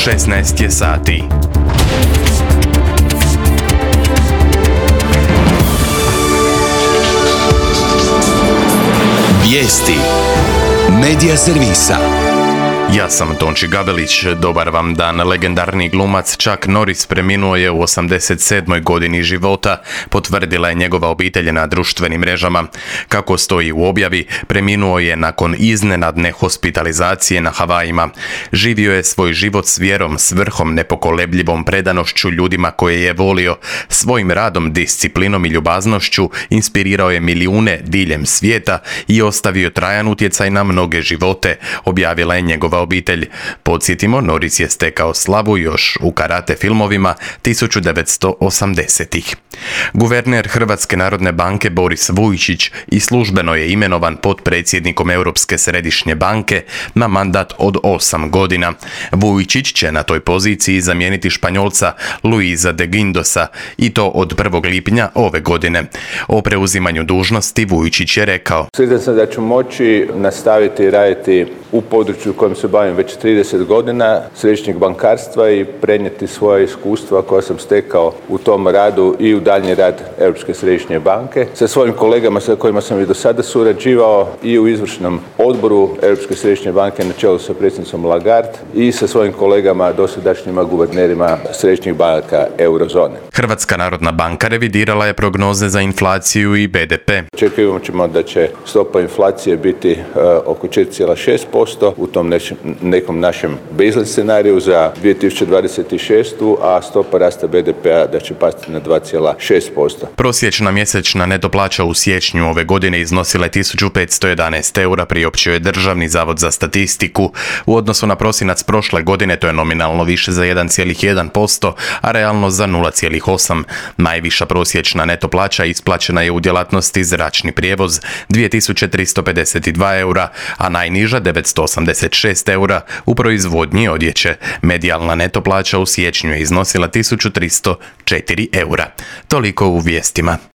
16 je sati. Vijesti Medija servisa. Ja sam Tonči Gavelić, dobar vam dan. Legendarni glumac Chuck Norris preminuo je u 87. godini života, potvrdila je njegova obitelj na društvenim mrežama. Kako stoji u objavi, preminuo je nakon iznenadne hospitalizacije na Havajima. Živio je svoj život s vjerom, svrhom, nepokolebljivom predanošću ljudima koje je volio. Svojim radom, disciplinom i ljubaznošću inspirirao je milijune diljem svijeta i ostavio trajan utjecaj na mnoge živote, objavila je njegova obitelj. Podsjetimo, Norris je stekao slavu još u karate filmovima 1980-ih. Guverner Hrvatske narodne banke Boris Vujčić i službeno je imenovan potpredsjednikom Europske središnje banke na mandat od 8 godina. Vujčić će na toj poziciji zamijeniti Španjolca Luisa de Guindosa i to od 1. lipnja ove godine. O preuzimanju dužnosti Vujčić je rekao: Sretan sam da ću moći nastaviti raditi u području u kojem se bavim već 30 godina, središnjeg bankarstva, i prenijeti svoje iskustva koja sam stekao u tom radu i u daljnji rad Europske središnje banke. Sa svojim kolegama sa kojima sam i do sada surađivao i u izvršnom odboru Europske središnje banke na čelu sa predsjednicom Lagarde i sa svojim kolegama dosadašnjima guvernerima središnjih banaka eurozone. Hrvatska narodna banka revidirala je prognoze za inflaciju i BDP. Očekujemo da će stopa inflacije biti oko 4,6% u tom nekom našem baseline scenariju za 2026. a stopa rasta BDP-a da će pasti na 2,6%. Prosječna mjesečna neto plaća u siječnju ove godine iznosila je 1511 eura, priopćio je Državni zavod za statistiku. U odnosu na prosinac prošle godine to je nominalno više za 1,1%, a realno za 0,8%. Najviša prosječna neto plaća isplaćena je u djelatnosti zračni prijevoz 2352 eura, a najniža 986 eura u proizvodnji odjeće. Medijalna neto plaća u siječnju je iznosila 1304 eura. Toliko u vijestima.